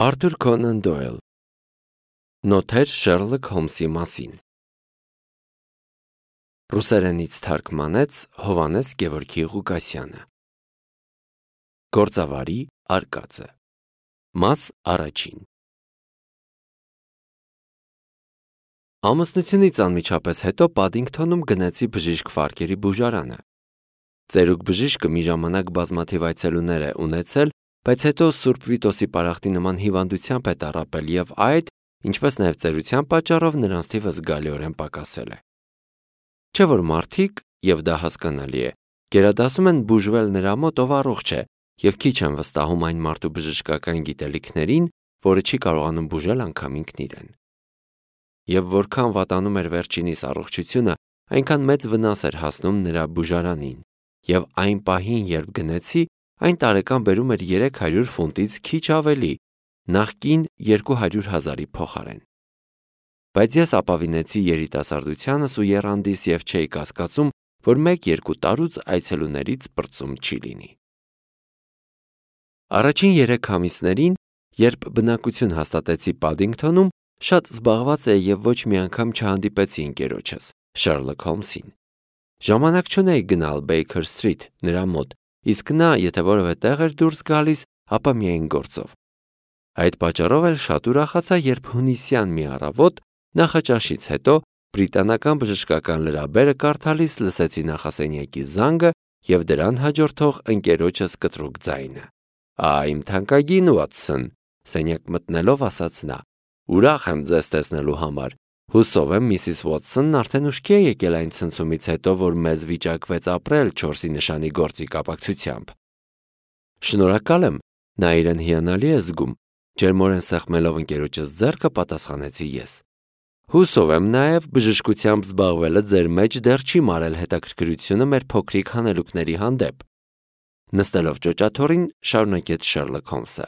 Արթուր Քոնան Դոյլ Նոթեր Շերլոք Հոլմսի մասին Ռուսերենից թարգմանեց Հովհաննես Գևորգի Ղուկասյանը Գործավարի արկածը Մաս առաջին Ամուսնությունից անմիջապես հետո Պադինգթոնում գնացի բժիշկ Ֆարկերի բուժարանը։ Ծերուկ բժիշկը մի ժամանակ բազմաթիվ այցելուներ է ունեցել, բայց հետո Սուրբ Վիտոսի պարախտի նման հիվանդությամբ է տառապել և այդ, ինչպես նաև ծերության պատճառով նրանց թիվը զգալիորեն պակասել է։ Չէ՞ որ մարդիկ, և դա հասկանալի է, գերադասում են բուժվել նրա մոտ, ով առողջ է, և քիչ են վստահում այն մարդու բժշկական գիտելիքներին, որը չի կարողանում բուժել անգամ ինքն իրեն։ Եվ որքան վատանում էր վերջինիս առողջությունը, այնքան մեծ վնաս էր հասնում նրա բուժարանին, և այն պահին, երբ գնեցի, այն տարեկան բերում էր 300 ֆունտից քիչ ավելի, նախկին 200,000-ի փոխարեն։ Բայց ես ապավինեցի երիտասարդությանս ու եռանդիս և չէի կասկածում, որ 1-2 տարուց այցելուներից պրծում չի լինի։ Առաջին 3 ամիսներին, երբ բնակություն հաստատեցի Պադինգթոնում, շատ զբաղված էի և ոչ մի անգամ չհանդիպեցի ընկերոջս, Շերլոք Հոլմսին։ Ժամանակ չունեի գնալ Բեյքեր Սթրիթ նրա մոտ, իսկ նա, եթե որևէ տեղ էր դուրս գալիս, ապա միայն գործով։ Այդ պատճառով էլ շատ ուրախացա, երբ հունիսյան մի առավոտ, նախաճաշից հետո, բրիտանական բժշկական լրաբերը կարդալիս լսեցի նախասենյակի զանգը և դրան հաջորդող ընկերոջս կտրուկ ձայնը։ «Իմ թանկագին Ուոտսոն», սենյակ մտնելով ասաց նա, «Ուրախ եմ ձեզ տեսնելու համար։ Հուսով եմ Միսիս Ուոտսոնն արդեն ուշքի է եկել այն ցնցումից հետո, որ մեզ վիճակվեց ապրել 4-ի նշանի գործի կապակցությամբ»։ «Շնորհակալ եմ», նա իրեն հիանալի է զգում, ջերմորեն սեղմելով ընկերոջս ձեռքը պատասխանեցի ես։ «Հուսով եմ նաև բժշկությամբ զբաղվելը ձեր մեջ դեռ չի մարել հետաքրքրությունը մեր փոքրիկ հանելուկների հանդեպ»։ Նստելով ճոճաթոռին, շարունակեց Շերլոք Հոլմսը։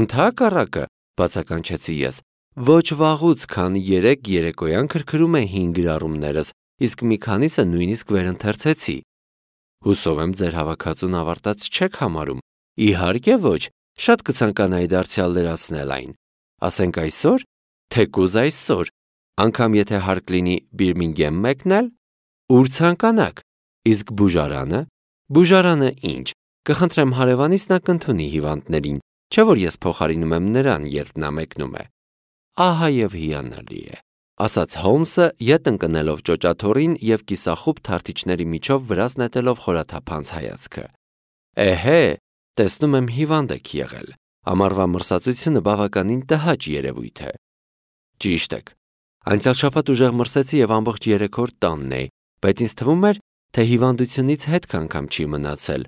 «Ընդհակառակը», բացականչեցի ես, «ոչ վաղուց, քանի 3 երեկոյան քրքրում է հին գրառումներս, իսկ մի քանիսը նույնիսկ վերընթերցեցի»։ «Հուսով եմ ձեր հավաքածուն ավարտած չեք համարում»։ «Իհարկե ոչ, շատ կցանկանայի դարձյալ լրացնել այն։ Ասենք այսօր, թեկուզ այսօր, անգամ եթե հարկ լինի Բիրմինգեմ մեկնել, ուր ցանկանաք, իսկ բուժարանը։ Բուժարանը ինչ, կխնդրեմ հարևանիս նա կընդունի հիվանդներին, չէ՞ որ ես փոխարինում եմ նրան, երբ նա մեկնում է»։ «Ահա և հիանալի է», ասաց Հոլմսը, ետ ընկնելով ճոճաթոռին և կիսախուբ թարթիչների միջով վրաս նետելով խորաթափանց հայացքը։ «Էհե, տեսնում եմ հիվանդ եք եղել։ Ամառվա մրսածությունը բավականին տհաճ երևույթ է»։ «Ճիշտ եք։ Անցյալ շաբաթ ուժեղ մրսեցի և ամբողջ 3 օր տանն էի, բայց ինձ թվում էր, թե հիվանդությունից հետք անգամ չի մնացել»։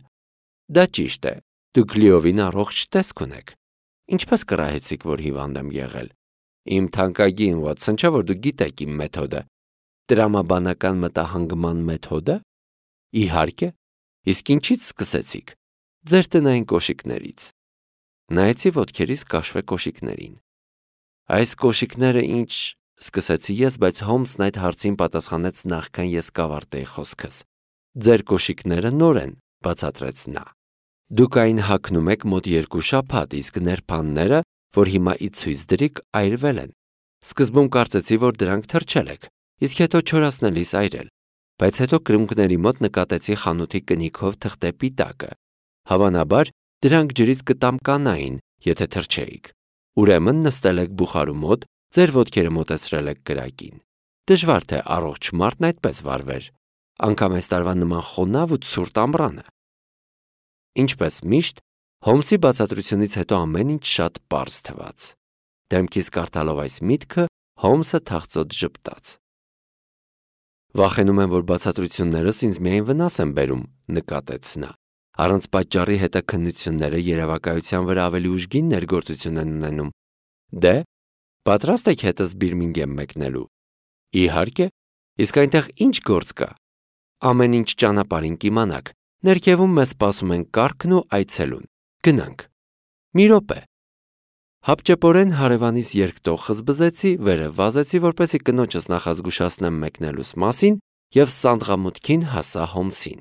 «Դա ճիշտ է, դուք լիովին առողջ տեսք ունեք։ Ինչպես կռահեցիք, որ հիվանդ եմ եղել»։ «Իմ թանկագին Ուոտսոն, չէ՞ որ դուք գիտեք իմ մեթոդը»։ «Տրամաբանական մտահանգման մեթոդը»։ «Իհարկե։ Իսկ ինչից սկսեցիք»։ «Ձեր տնային կոշիկներից»։ Նայեցի ոտքերիս կաշվե կոշիկներին։ «Այս կոշիկները ինչ», սկսեցի ես, բայց Հոլմսն այդ հարցին պատասխանեց նախքան ես կավարտեի խոսքս։ «Ձեր կոշիկները նոր են», բացատրեց նա։ «Դուք այն հագնում եք մոտ 2 շաբաթ, իսկ նրբանները, որ հիմա ի ցույց դրիք, այրվել են։ Սկզբում կարծեցի, որ դրանք թրջել եք, իսկ հետո չորացնելիս այրել, բայց հետո կրունկների մոտ նկատեցի խանութի կնիքով թղթե պիտակը։ Հավանաբար, դրանք ջրից կտամկանային, եթե թրջեիք։ Ուրեմն նստել եք բուխարու մոտ, ձեր ոտքերը մոտեցրել եք կրակին։ Դժվար թե առողջ մարդն այդպես վարվեր, անգամ այս տարվա նման խոնավ ու ցուրտ ամռանը»։ Ինչպես միշտ, Հոլմսի բացատրությունից հետո ամեն ինչ շատ պարզ թվաց։ Դեմքիս կարդալով այս միտքը, Հոլմսը թախծոտ ժպտաց։ «Վախենում եմ, որ բացատրություններս ինձ միայն վնաս են բերում», նկատեց նա։ «Առանց պատճառի հետաքննությունները երևակայության վրա ավելի ուժգին ներգործություն են ունենում»։ «Դե, պատրաստ եք հետս Բիրմինգեմ մեկնելու»։ «Իհարկե։ Իսկ այնտեղ ինչ գործ կա»։ «Ամեն ինչ ճանապարհին կիմանաք։ Ներքևում մեզ սպասում են կառքն ու այցելուն։ Գնանք»։ «Մի րոպե»։ Հապճեպորեն հարևանիս երկտող խզբզեցի, վերև վազեցի, որպեսզի կնոջս նախազգուշացնեմ մեկնելուս մասին, և սանդղամուտքին հասա Հոլմսին։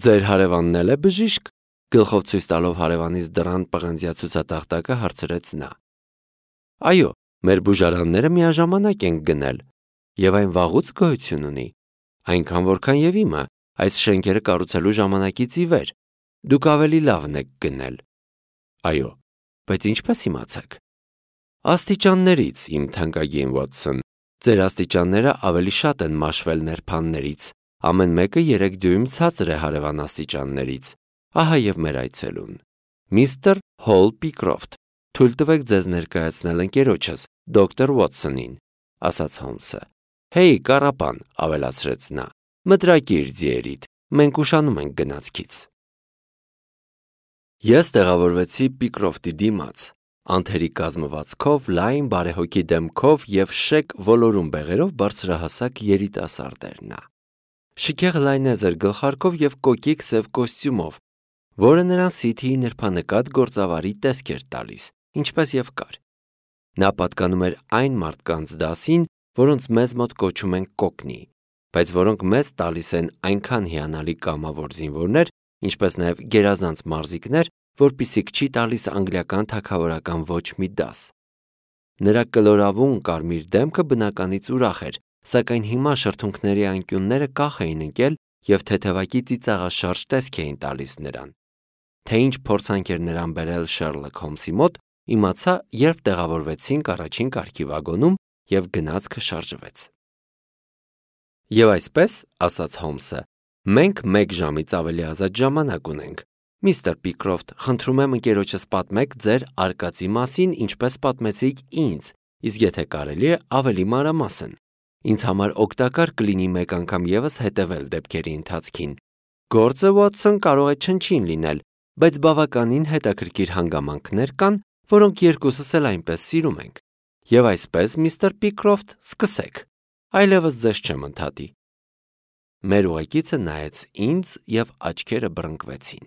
«Ձեր հարևանն էլ է բժիշկ»։ Գլխով ցույց տալով հարևանից դռան պղնձյացուցատախտակը հարցրեց նա։ Այո, մեր բուժարանները միաժամանակ են գնել, եւ այն վաղուց գոյություն ունի, այնքան որքան եւ իմը, այս շենքերը կառուցելու ժամանակից ի վեր։ Դուք ավելի լավն եք գնել։ Այո, բայց ինչպես իմացաք։ Աստիճաններից, իմ թանկագին Վոթսոն, ձեր աստիճանները ավելի շատ են մաշվել ներփաններից, ամեն մեկը 3 դյույմ ցածր է հարևան աստիճաններից, ահա եւ մեր այցելուն։ Միստր Հոլ Պիկրոֆտ, թույլ տվեք ձեզ ներկայացնել ընկերոջս, դոկտոր Վոթսոնին, ասաց Հոլմսը։ Հեյ, կառապան, ավելացրեց նա, մտրակիր ձիերիդ, մենք ուշանում ենք գնացքից։ Ես տեղավորվեցի Պիկրոֆտի դիմաց, անթերի կազմվածքով, լայն բարեհոգի դեմքով եւ շեկ ոլորուն բեղերով բարձրահասակ երիտասարդ էր նա։ Շքեղ լայնեզր գլխարկով եւ կոկիկ սև կոստյումով, որը նրան Սիթիի նրբանկատ գործավարի տեսք էր տալիս, ինչպես եւ կար։ Նա պատկանում էր այն մարդկանց դասին, որոնց մեզ մոտ կոչում են կոկնի, բայց որոնք մեզ տալիս են այնքան հիանալի կամավոր զինվորներ, ինչպես նաև գերազանց մարզիկներ, որպիսիք չի տալիս անգլիական թագավորական ոչ մի դաս։ Նրա կլորավուն կարմիր դեմքը բնականից ուրախ էր, սակայն հիմա շրթունքների անկյունները կախ էին ընկել եւ թեթևակի ծիծաղաշարժ տեսք էին տալիս նրան։ Թե ինչ փորձանք էր նրան բերել Շերլոկ Հոլմսի մոտ, իմացա, երբ տեղավորվեցինք առաջին կարգի վագոնում եւ գնացքը շարժվեց։ Եվ այսպես, ասաց Հոլմսը, մենք 1 ժամից ավելի ազատ ժամանակ ունենք։ Միստր Պիկրոֆտ, խնդրում եմ ընկերոջս պատմեք ձեր արկածի մասին, ինչպես պատմեցիք ինձ, իսկ եթե կարելի է, ավելի մանրամասն։ Ինձ համար օգտակար կլինի մեկ անգամ եւս հետևել դեպքերի ընթացքին։ Գործը Վոթսոն կարող է չնչին լինել, բայց բավականին հետաքրքիր հանգամանքներ կան, որոնք երկուսս էլ այնպես սիրում ենք։ Եվ այսպես, միստր Պիկրոֆտ, սկսեք։ Այլևս ձեզ չեմ ընդհատի։ Մեր ուղեկիցը նայեց ինձ եւ աչքերը բռնկվեցին։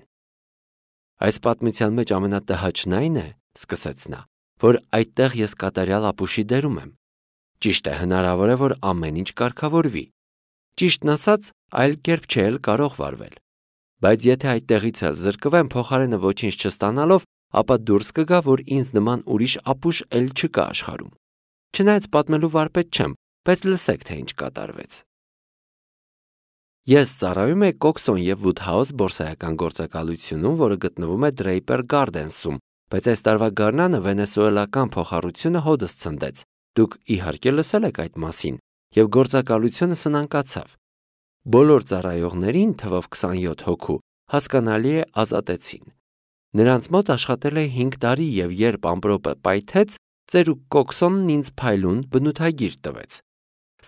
Այս պատմության մեջ ամենատհաճն այն է, սկսեց նա, որ այդտեղ ես կատարյալ ապուշի դերում եմ։ Ճիշտ է, հնարավոր է, որ ամեն ինչ կարգավորվի։ Ճիշտն ասած, այլ կերպ չէ էլ կարող վարվել։ Բայց եթե այդտեղից էլ զրկվեմ փոխարենը ոչինչ չստանալով, ապա դուրս կգա, որ ինձ նման ուրիշ ապուշ էլ չկա աշխարհում։ Չնայած պատմելու վարպետ չեմ, բայց լսեք, թե ինչ կատարվեց։ Ես ծառայում եմ Կոքսոն եւ Վուդհաուս բորսայական գործակալությունում, որը գտնվում է Դրեյպեր Գարդենսում, բայց այս տարվա գարնանը վենեսուելական փոխառությունը հոդս ցնդեց։ Դուք իհարկե լսել եք այդ մասին, եւ գործակալությունը սնանկացավ։ Բոլոր ծառայողներին, թվով 27 հոգու, հասկանալի է ազատեցին։ Նրանց մոտ աշխատել է 5 տարի եւ երբ ամպրոպը պայթեց, ծերուկ Կոքսոնն ինձ փայլուն բնութագիր տվեց։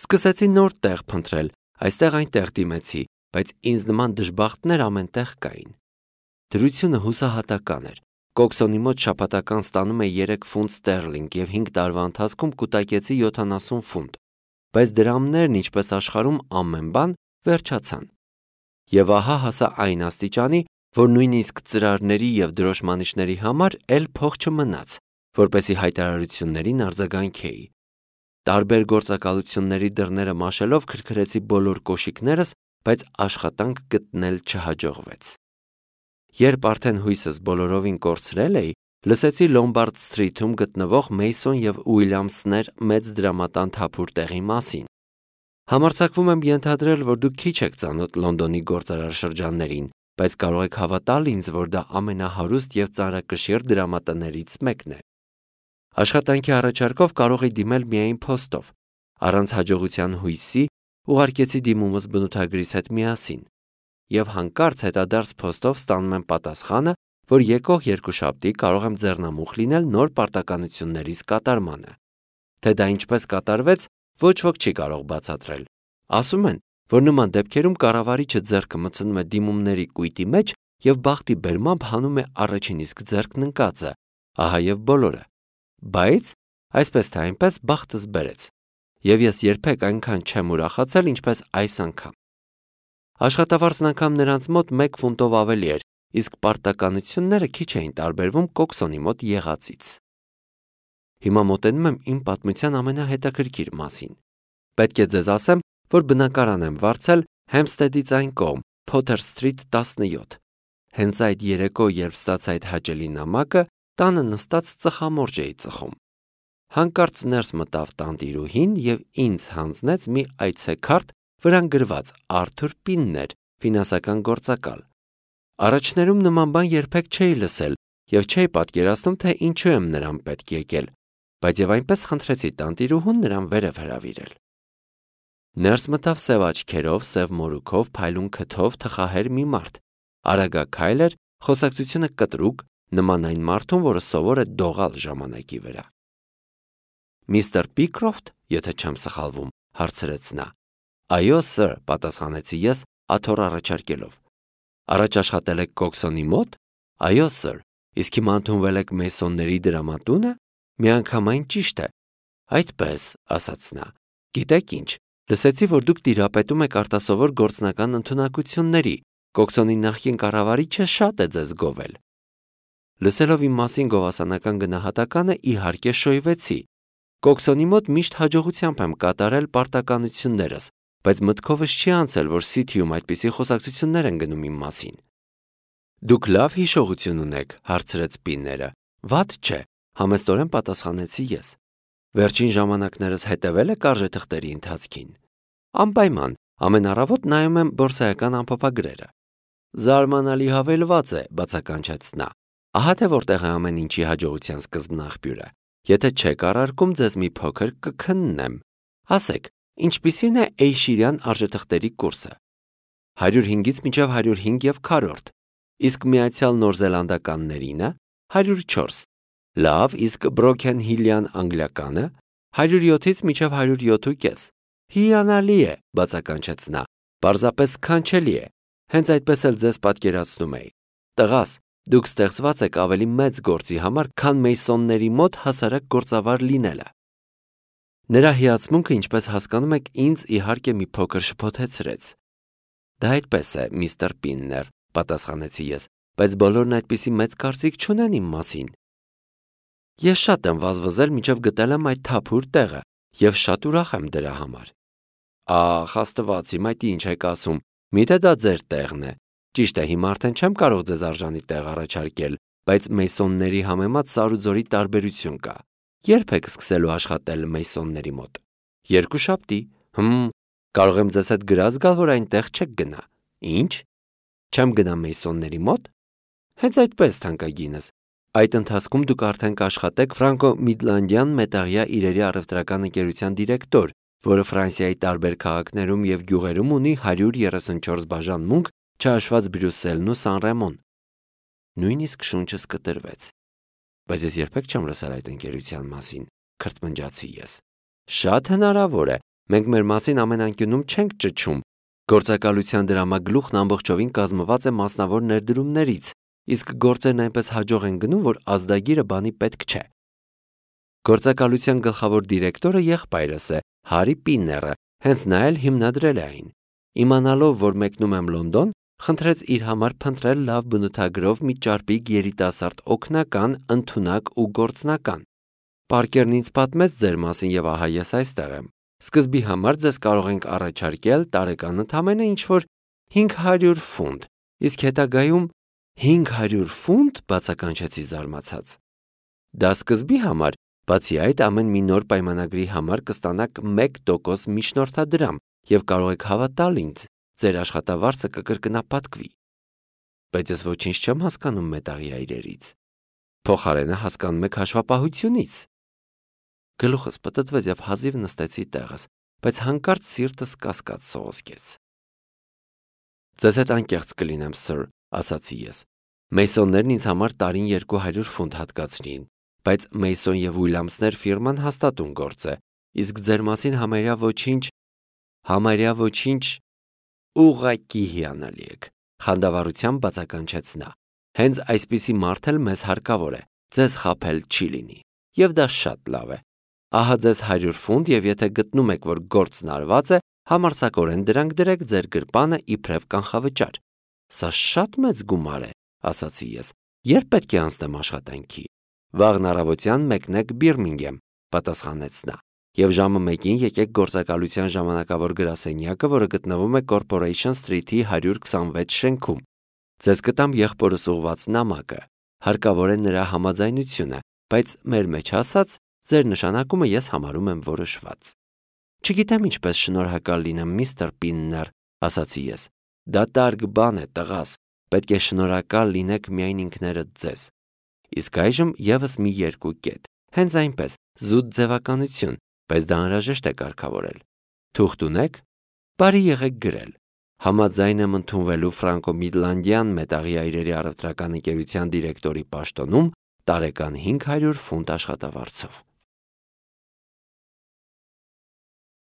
Սկսեցի նոր տեղ փնտրել, այստեղ-այնտեղ դիմեցի, բայց ինձ նման դժբախտներ ամենտեղ կային։ Դրությունը հուսահատական էր։ Կոքսոնի մոտ շաբաթական ստանում է 3 ֆունտ ստերլինգ եւ 5 տարվա ընթացքում կուտակեցի 70 ֆունտ, բայց դրամներն, ինչպես աշխարհում ամեն բան, վերջացան։ Եվ ահա հասա այն աստիճանի, որ նույնիսկ ծրարների եւ դրոշմանիչների համար էլ փող չմնաց, որպեսի հայտարարություններին արձագանքեի։ Տարբեր գործակալությունների դռները մաշելով քրքրեցի բոլոր կոշիկներս, բայց աշխատանք գտնել չհաջողվեց։ Երբ արդեն հույսս բոլորովին կորցրել էի, լսեցի Լոմբարդ Սթրիթում գտնվող Մեյսոն եւ Ուիլյամսներ մեծ դրամատան թափուր տեղի մասին։ Համարձակվում եմ ենթադրել, որ դուք քիչ եք ծանոթ Լոնդոնի գործարար շրջաններին, բայց կարող եք հավատալ ինձ, որ դա ամենահարուստ եւ ծանրակշիռ դրամատներից մեկն է։ Աշխատանքի առաջարկով կարող էի դիմել միայն փոստով։ Առանց հաջողության հույսի ուղարկեցի դիմումս բնութագրիս հետ միասին։ Եվ հանկարծ հետադարձ փոստով ստանում եմ պատասխանը, որ եկող երկուշաբթի կարող եմ ձեռնամուխ լինել նոր պարտականություններիս կատարմանը։ Թե դա ինչպես կատարվեց, ոչ ոք չի կարող բացատրել։ Ասում են, որ նման դեպքերում կառավարիչը ձեռքը մտցնում է դիմումների կույտի մեջ եւ բախտի բերմամբ հանում է առաջին իսկ ձեռքն ընկածը, ահա եւ բոլորը։ Բայց այսպես թե այնպես բախտս բերեց։ Եվ ես երբեք այնքան չեմ ուրախացել, ինչպես այս անգամ։ Աշխատավարձն անգամ նրանց մոտ 1 ֆունտով ավելի էր, իսկ պարտականությունները քիչ էին տարբերվում Կոքսոնի մոտ եղածից։ Հիմա մոտենում եմ իմ պատմության ամենահետաքրքիր մասին։ Պետք է ձեզ ասեմ, որ բնակարան եմ վարձել Հեմստեդից այն կողմ, Փոթեր Սթրիթ 17։ հենց այդ երեկո, երբ ստացա այդ հաճելի նամակը, տանը նստած ծխամորճ էի ծխում։ Հանկարծ ներս մտավ տանտիրուհին և ինձ հանձնեց մի այցեքարտ, վրան գրված Արթուր Պիններ, ֆինանսական գործակալ։ Առաջներում նման բան երբեք չէի լսել և չէի պատկերացնում, թե ինչու եմ նրան պետք եկել, բայց և այնպես խնդրեցի տանտիրուհուն նրան վերև հրավիրել։ Ներս մտավ սև աչքերով, սև մորուքով, փայլուն քթով, թխահեր մի մարդ։ Արագաքայլ էր, խոսակցությունը կտրուկ, նման այն մարդուն, որը սովոր է դողալ ժամանակի վրա։ Միսթր Պիկրոֆտ, եթե չեմ սխալվում, հարցրեց նա։ Այո, սըր, պատասխանեցի ես, աթոռ առաջարկելով։ Առաջ աշխատել եք Կոքսոնի մոտ։ Այո, սըր, իսկ հիմա ընդունվել եք Մեյսոնների դրամատունը։ Միանգամայն ճիշտ է։ Այդպես, ասաց նա։ Գիտեք ինչ, լսեցի, որ դուք տիրապետում եք արտասովոր գործնական ընդունակությունների։ Կոքսոնի նախկին կառավարիչը շատ է ձեզ գովել։ Լսելով իմ մասին գովասանական գնահատականը, իհարկե շոյվեցի։ Կոքսոնի մոտ միշտ հաջողությամբ եմ կատարել պարտականություններս, բայց մտքովս չի անցել, որ Սիթիում այդպիսի խոսակցություններ են գնում իմ մասին։ Դուք լավ հիշողություն ունեք, հարցրեց Պինները։ Վատ չէ, համեստորեն պատասխանեցի ես։ Վերջին ժամանակներս հետևել եք արժեթղթերի ընթացքին։ Անպայման, ամեն առավոտ նայում եմ բորսայական ամփոփագրերը։ Զարմանալի հավելված է, բացականչեց նա։ Ահա թե որտեղ է ամեն ինչի հաջողության սկզբնաղբյուրը։ Եթե չեք առարկում, ձեզ մի փոքր կքննեմ։ Ասեք, ինչպիսին է Էյշիրյան արժեթղթերի կուրսը։ 105-ից մինչև 105,4, իսկ Միացյալ Նորզելանդականներինը 104։ Լավ, իսկ Բրոքենհիլյան անգլիականը 107-ից մինչև 107,5։ Հիանալի է, բացականչեց նա։ Պարզապես սքանչելի է։ Հենց այդպես էլ ձեզ պատկերացնում էի։ Տղաս, դուք ստեղծված եք ավելի մեծ գործի համար, քան Մեյսոնների մոտ հասարակ գործավար լինելը։ Նրա հիացմունքը, ինչպես հասկանում եք, ինձ իհարկե մի փոքր շփոթեցրեց։ Դա այդպես է, միստր Պիններ, պատասխանեցի ես, բայց բոլորն այդպիսի մեծ կարծիք չունեն իմ մասին։ Ես շատ եմ վազվզել, մինչև գտել եմ այդ թափուր տեղը, և շատ ուրախ եմ դրա համար։ Ախ, Աստված իմ, այդ ինչ եք ասում, միթե դա ձեր տեղն է։ Ճիշտ է, հիմա արդեն չեմ կարող ձեզ արժանի տեղ առաջարկել, բայց Մեյսոնների համեմատ Սարուձորի տարբերություն կա։ Երբ եք սկսելու աշխատել Մեյսոնների մոտ։ Երկուշաբթի։ Կարող եմ ձեզ հետ գրած գալ, որ այնտեղ չեք գնա։ Ինչ։ Չեմ գնա Մեյսոնների մոտ։ Հենց այդպես, թանկագինս։ Այդ ընթացքում դուք արդեն կաշխատեք Ֆրանկո-Միդլանդյան մետաղյա իրերի առևտրական ընկերության դիրեկտոր, որը Ֆրանսիայի տարբեր քաղաքներում և գյուղերում ունի 134 բաժան մունք, չհաշված Բրյուսելն ու Սան-Ռեմոն։ Նույնիսկ շունչս կտրվեց։ Բայց ես երբեք չեմ լսել այդ ընկերության մասին, քրթմնջացի ես։ Շատ հնարավոր է, մենք մեր մասին ամեն անկյունում չենք ճչում։ Գործակալության դրամագլուխն ամբողջովին կազմված է մասնավոր ներդրումներից, իսկ գործերն այնպես հաջող են գնում, որ ազդագիրը բանի պետք չէ։ Գործակալության գլխավոր դիրեկտորը եղբայրս է, Հարի Պինները, հենց նա էլ հիմնադրել է այն։ Իմանալով, որ մեկնում եմ Լոնդոն, խնդրեց իր համար փնտրել լավ բնութագրով մի ճարպիկ երիտասարդ օգնական, ընդունակ ու գործնական։ Պարկերն ինձ պատմեց ձեր մասին և ահա ես այստեղ եմ։ Սկզբի համար ձեզ կարող ենք առաջարկել տարեկան ընդամենը ինչ-որ 500 ֆունտ, իսկ հետագայում 500 ֆունտ, բացականչեցի զարմացած։ Դա սկզբի համար, բացի այդ ամեն մի նոր պայմանագրի համար կստանաք 1% միջնորդադրամ և կարող եք հավատալ ինձ, ձեր աշխատավարձը կկրկնապատկվի։ Բայց ես ոչինչ չեմ հասկանում մետաղյա իրերից։ Փոխարենը հասկանում եք հաշվապահությունից։ Գլուխս պտտվեց և հազիվ նստեցի տեղս, բայց հանկարծ սիրտս կասկած սողոսկեց։ Ձեզ հետ անկեղծ կլինեմ, սըր, ասացի ես։ Մեյսոններն ինձ համար տարին 200 ֆունտ հատկացրին, բայց Մեյսոն և Ուիլյամսներ ֆիրման հաստատուն գործ է, իսկ ձեր մասին համարյա ոչինչ ուղղակի հիանալի եք, խանդավառությամբ բացականչեց նա։ Հենց այսպիսի մարդ էլ մեզ հարկավոր է, ձեզ խաբել չի լինի, և դա շատ լավ է։ Ահա ձեզ 100 ֆունտ և եթե գտնում եք, որ գործն արված է, համարձակորեն դրանք դրեք ձեր գրպանը իբրև կանխավճար։ Սա շատ մեծ գումար է, ասացի ես։ Երբ պետք է անցնեմ աշխատանքի։ Վաղն առավոտյան մեկնեք Բիրմինգեմ, պատասխանեց նա, և ժամը 1-ին եկեք գործակալության ժամանակավոր գրասենյակը, որը գտնվում է Corporation Street-ի 126 շենքում։ Ձեզ կտամ եղբորս ուղված նամակը, հարկավոր է նրա համաձայնությունը, բայց մեր մեջ ասած, ձեր նշանակումը ես համարում եմ որոշված։ Չգիտեմ ինչպես շնորհակալ լինեմ, միստր Պիններ, ասացի ես։ Դա տարգ բան է, տղաս, պետք է շնորհակալ լինեք միայն ինքներդ ձեզ։ Իսկ այժմ եւս մի երկու կետ, հենց այնպես, զուտ ձևականություն, բայց դա անհրաժեշտ է կարգավորել։ Թուղթ ունեք։ Բարի եղեք գրել։ Համաձայն եմ ընդունվելու Ֆրանկո-Միդլանդյան մետաղի այրերի առևտրական ընկերության դիրեկտորի պաշտոնում տարեկան 500 ֆունտ աշխատավարձով։